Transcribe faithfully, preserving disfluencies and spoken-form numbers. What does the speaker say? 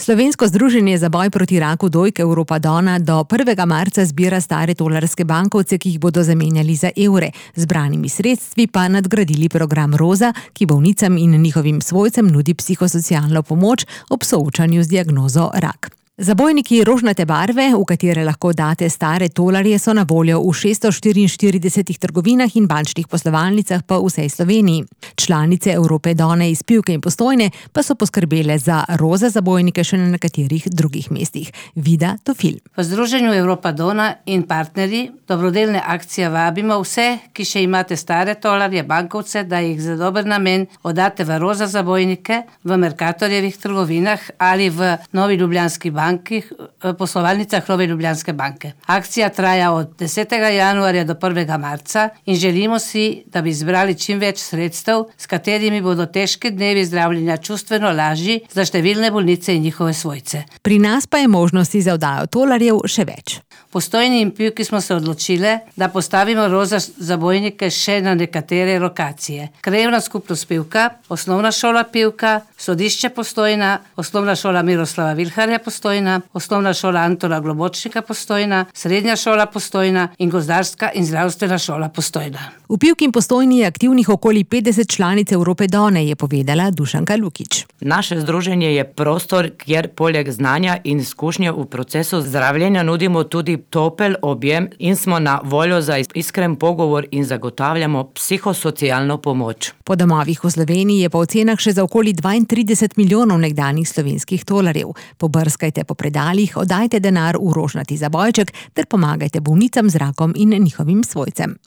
Slovensko združenje za boj proti raku dojk Europa Donna do prvega marca zbira stare tolarske bankovce, ki jih bodo zamenjali za evre. Zbranimi sredstvi pa nadgradili program Roza, ki bolnicam in njihovim svojcem nudi psihosocialno pomoč ob soočanju z diagnozo rak. Zabojniki rožnate barve, v katere lahko date stare tolarje, so na voljo v šeststo štiriinštiridesetih trgovinah in bančnih poslovalnicah po vsej Sloveniji. Članice Europe Donne iz Pivke in Postojne pa so poskrbele za roza zabojnike še na nekaterih drugih mestih. Vida Tofil. V Združenju Europa Donna in partnerji dobrodelne akcije vabimo vse, ki še imate stare tolarje, bankovce, da jih za dober namen oddate v roza zabojnike v Mercatorjevih trgovinah ali v Novi Ljubljanski banki, poslovalnicah Nove Ljubljanske banke. Akcija traja od desetega januarja do prvega marca in želimo si, da bi zbrali čim več sredstev, s katerimi bodo težki dnevi zdravljenja čustveno lažji za številne bolnice in njihove svojce. Pri nas pa je možnosti za oddajo tolarjev še več. Postojni in Pivki smo se odločile, da postavimo roza zabojnike še na nekatere lokacije. Krajevna skupnost Pivka, osnovna šola Pivka, sodišče Postojna, osnovna šola Miroslava Vilharja Postojna, osnovna šola Antona Globočnika Postojna, srednja šola Postojna in gozdarska in zdravstvena šola Postojna. V Pivki in Postojni je aktivnih okoli petdeset članic Europe Donne, je povedala Dušanka Lukič. Naše združenje je prostor, kjer poleg znanja in izkušnje v procesu zdravljenja nudimo tudi topel objem in smo na voljo za iskren pogovor in zagotavljamo psihosocialno pomoč. Po domovih v Sloveniji je po ocenah še za okoli dvaintrideset milijonov nekdanjih slovenskih tolarjev. Pobrskajte po predalih, oddajte denar v rožnati zabojček ter pomagajte bolnicam z rakom in njihovim svojcem.